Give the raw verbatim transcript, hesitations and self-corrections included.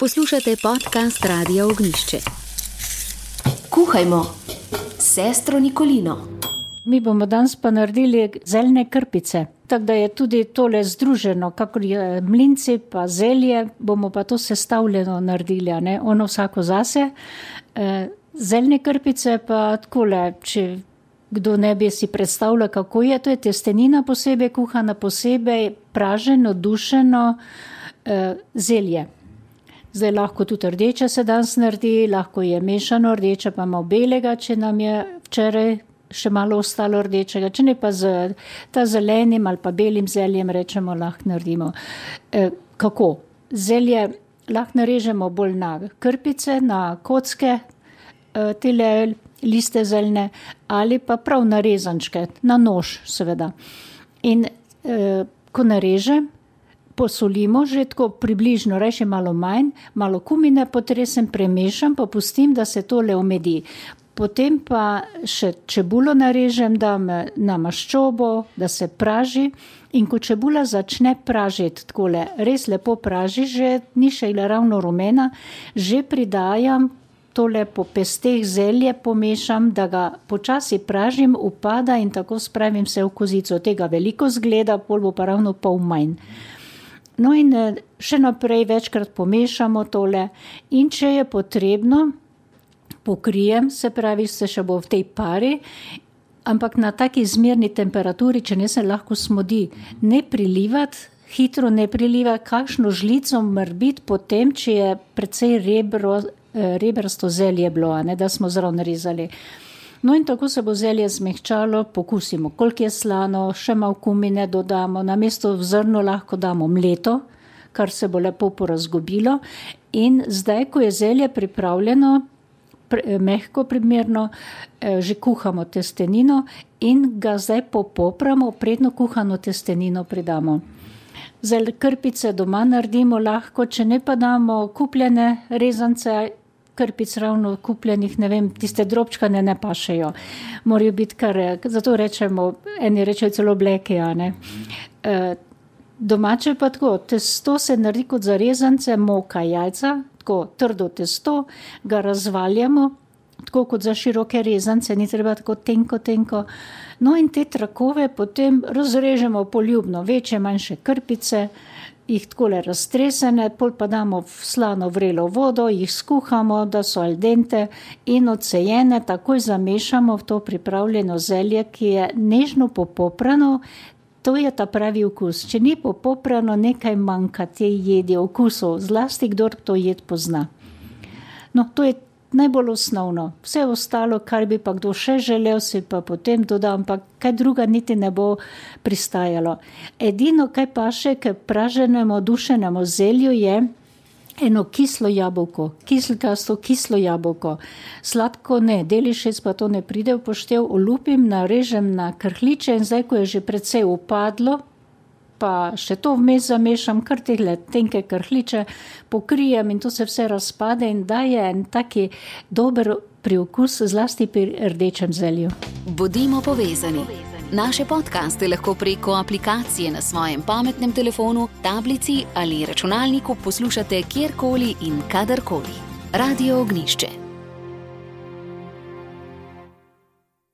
Poslušate podcast Radia Ognjišče. Kuhajmo s sestro Nikolino. Mi bomo danes pa naredili zeljne krpice. Tako da je tudi tole združeno, kakor je mlinci pa zelje, bomo pa to sestavljeno naredili, a ne? Ono vsako zase. E, zeljne krpice pa takole, če kdo ne bi si predstavljal, kako je, to je testenina posebej, kuhana posebej, praženo, dušeno e, zelje. Zdaj lahko tudi rdeče se danes naredi, lahko je mešano rdeče, pa malo belega, če nam je včeraj še malo ostalo rdečega, če ne pa z ta zelenim ali pa belim zeljem, rečemo, lahko naredimo. E, kako? Zelje lahko narežemo bolj na krpice, na kocke, e, tele liste zeljne, ali pa prav na rezančke, na nož seveda. In e, ko narežem, posolimo že tako približno, reči malo manj, malo kumine potresem, premešam, pa pustim, da se tole omedi. Potem pa še čebulo narežem, dam na maščobo, da se praži, in ko čebula začne pražiti takole, res lepo praži, že ni še ravno rumena, že pridajam tole po pesteh zelje, pomešam, da ga počasi pražim, upada in tako spravim vse v kozico. Tega veliko zgleda, pol bo pa ravno pol manj. No in še naprej večkrat pomešamo tole in če je potrebno, pokrijem, se pravi, se še bo v tej pari, ampak na taki zmerni temperaturi, če ne se lahko smodi. Ne prilivati, hitro ne prilivati, kakšno žlico mrbiti potem, če je precej rebro, rebrasto zelje bilo, ne, da smo zraven rezali. No in tako se bo zelje zmehčalo, pokusimo, koliko je slano, še malo kumine dodamo, namesto v zrno lahko damo mleto, kar se bo lepo porazgobilo. In zdaj, ko je zelje pripravljeno, mehko primerno, že kuhamo testenino in ga zdaj popopramo, predno kuhano testenino pridamo. Zdaj krpice doma naredimo lahko, če ne pa damo kupljene rezance, krpic ravno kupljenih, ne vem, tiste drobčkane ne pašejo. Morajo biti kar, zato rečemo, eni rečejo celo bleke, a ne. E, domače pa tako, testo se naredi kot za rezance, moka, jajca, tako trdo testo, ga razvaljamo, tako kot za široke rezance, ni treba tako tenko, tenko. No in te trakove potem razrežemo poljubno, večje, manjše krpice, jih takole raztresene, pol pa damo v slano vrelo vodo, jih skuhamo, da so al dente in odsejene, takoj zamešamo v to pripravljeno zelje, ki je nežno popoprano. To je ta pravi okus. Če ni popoprano, nekaj manjka te jedi, okusov, zlasti kdor to jed pozna. No, to je najbolj osnovno. Vse ostalo, kar bi pa kdo še želel, si pa potem dodam, pa kaj druga niti ne bo pristajalo. Edino, kaj pa še k praženemu, dušenemu zelju je eno kislo jabolko, kislkasto kislo jabolko. Sladko ne, delišec pa to ne pride v poštev, olupim, narežem na krhljiče in zdaj, ko je že precej upadlo, pa še to vmes zamešam, kar tehle tenke krhljiče, pokrijem in to se vse razpade in daje en taki dober priokus, zlasti pri rdečem zelju. Bodimo povezani. Naše podcaste lahko preko aplikacije na svojem pametnem telefonu, tablici ali računalniku poslušate kjerkoli in kadarkoli. Radio Ognjišče.